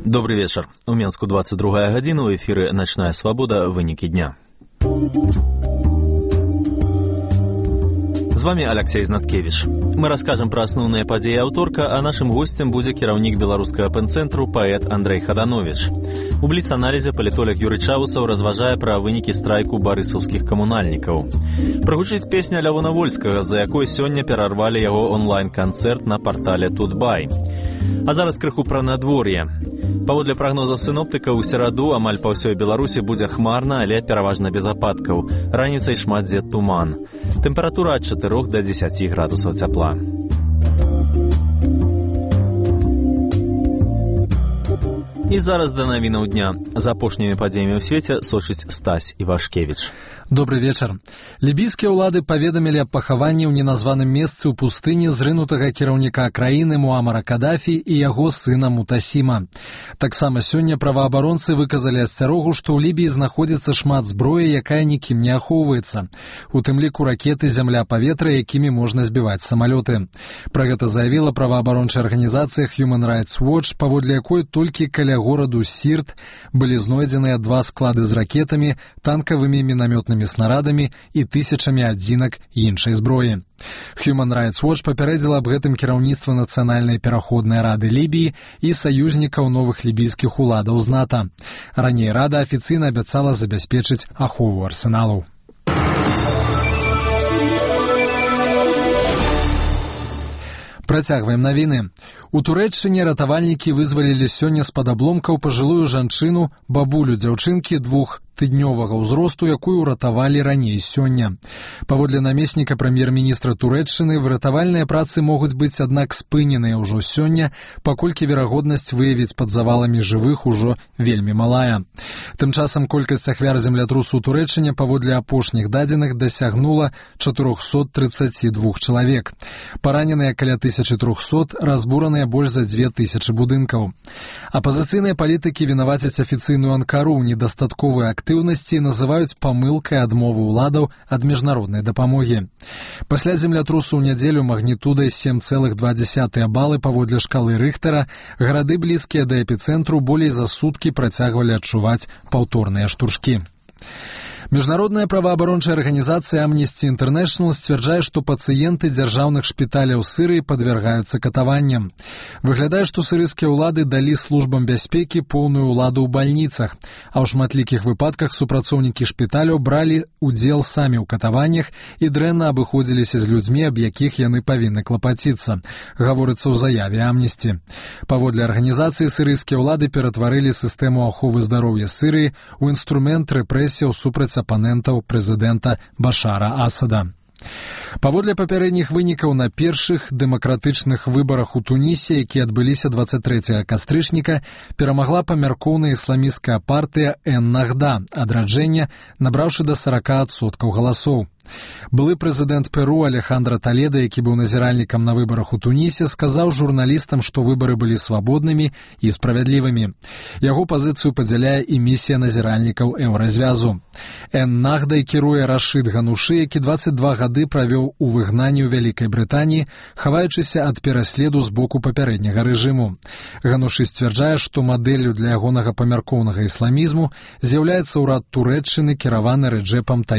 Добрый вечер. У Менску 22 гадзіна, у эфіры «Начная свобода. Вынікі дня». З вами Алексей Знаткевич. Мы расскажем про основные подеи аўторка, а нашим гостем будзе кіраўнік беларускага пэн-цэнтру паэт Андрэй Хаданович. У бліц-аналізе палітолог Юрый Чаусаў разважае пра вынікі страйку барысаўскіх камунальнікаў. Прагучыць песня Лявона Вольскага, за якой сёння перарвалі яго онлайн-канцэрт на партале Тутбай. А зараз крыху пра надвор'е. Паводле прагнозаў сіноптыка, у сераду амаль па ўсёй Беларусі будзе хмарна, але пераважна без ападкаў. Раніцай шмат дзе туман. Тэмпература ад 4 до 10 градусаў цяпла. І зараз да навінаў дня. За апошнімі падзеямі ў свеце сочыць Стась Івашкевіч. Добрый вечар. Лібійскія ўлады паведамілі аб пахаванні ў неназваным месцы ў пустыні зрынутага кіраўніка краіны Муамара Кадафі і яго сына Мутасіма. Таксама сёння праваабаронцы выказалі асцярогу, што ў Лібіі знаходзіцца шмат зброі, якая нікім не ахоўваецца. У тым ліку ракеты зямля-паветра, якімі можна збіваць самалёты. Пра гэта заявіла праваабарончая арганізацыя Human Rights Watch, паводле якой толькі каля гораду Сірт былі знойдзеныя 2 склады з ракетамі, танкавымі мінамётнымі снарадамі і тысячамі адзінак іншай зброі. Human Rights Watch папярэдзіла аб гэтым кіраўніцтва Нацыянальнай пераходнай рады Лібіі і саюзнікаў новых лібійскіх уладаў з НАТО. Раней рада афіцыйна абяцала забяспечыць ахову арсеналаў. Працягваем навіны. У Турэччыне ратавальнікі вызвалілі сёння з-пад абломкаў пажылую жанчыну, бабулю дзяўчынкі 2-тыднёвага ўзросту, якую ўратавалі раней сёння. Паводле намесніка прэм'ер-міністра Турэччыны, выратавальныя працы могуць быць, аднак, спыненыя ўжо сёння, паколькі верагоднасць выявіць пад заваламі жывых ужо вельмі малая. Тым часам колькасць ахвяр землятрусу ў Турэччыне паводле апошніх дадзеных дасягнула 432 чалавек. Параненыя каля 1300, разбураныя больш за 2000 будынкаў. Апазіцыйныя палітыкі вінавацяць афіцыйную Анкару ў недастатковай актыўнасці і называюць памылкай адмовы ўладаў ад міжнароднай дапамогі. Пасля землятрусу ў нядзелю магнітудай 7,2 балы паводле шкалы Рыхтера гарады, блізкія да эпіцэнтру, болей за суткі працягвалі адчуваць паўторныя штуршкі. Міжнародная праваабарончая арганізацыя Amnesty International сцвярджае, што пацыенты дзяржаўных шпіталяў Сырыі падвяргаюцца катаванням. Выглядае, што сырыйскія ўлады далі службам бяспекі поўную ўладу ў бальніцах, а ў шматлікіх выпадках супрацоўнікі шпіталяў бралі ўдзел самі ў катаваннях і дрэнна абыходзіліся з людзьмі, аб якіх яны павінны клапаціцца, гаворыцца ў заяве Amnesty. Паводле арганізацыі, сырыйскія ўлады ператварылі сістэму аховы здароўя Сырыі ў інструмент рэпрэсіяў супраць апанентаў прэзідэнта Башара Асада. Паводле папярэдніх вынікаў, на першых дэмакратычных выбарах у Тунісе, якія адбыліся 23 кастрычніка, перамагла памяркоўная ісламісцкая партыя Эн-Нахда адраджэння, набраўшы да 40% галасоў. Былы прэзідэнт Перу Алехандро Толедо, які быў назіральнікам на выбарах у Тунісе, сказаў журналістам, што выбары былі свабоднымі і справядлівымі. Яго пазіцыю падзяляе і місія назіральнікаў Еўразвязу. Эн-Нахдай кіруе Рашид Ганушы, які 22 гады правёў у выгнанні ў Вялікай Брытаніі, хаваючыся ад пераследу з боку папярэдняга рэжыму. Ганушы сцвярджае, што мадэллю для ягонага памяркоўнага ісламізму з'яўляецца ўрад Турэччыны, кіраваны Рэджэпам Таіпам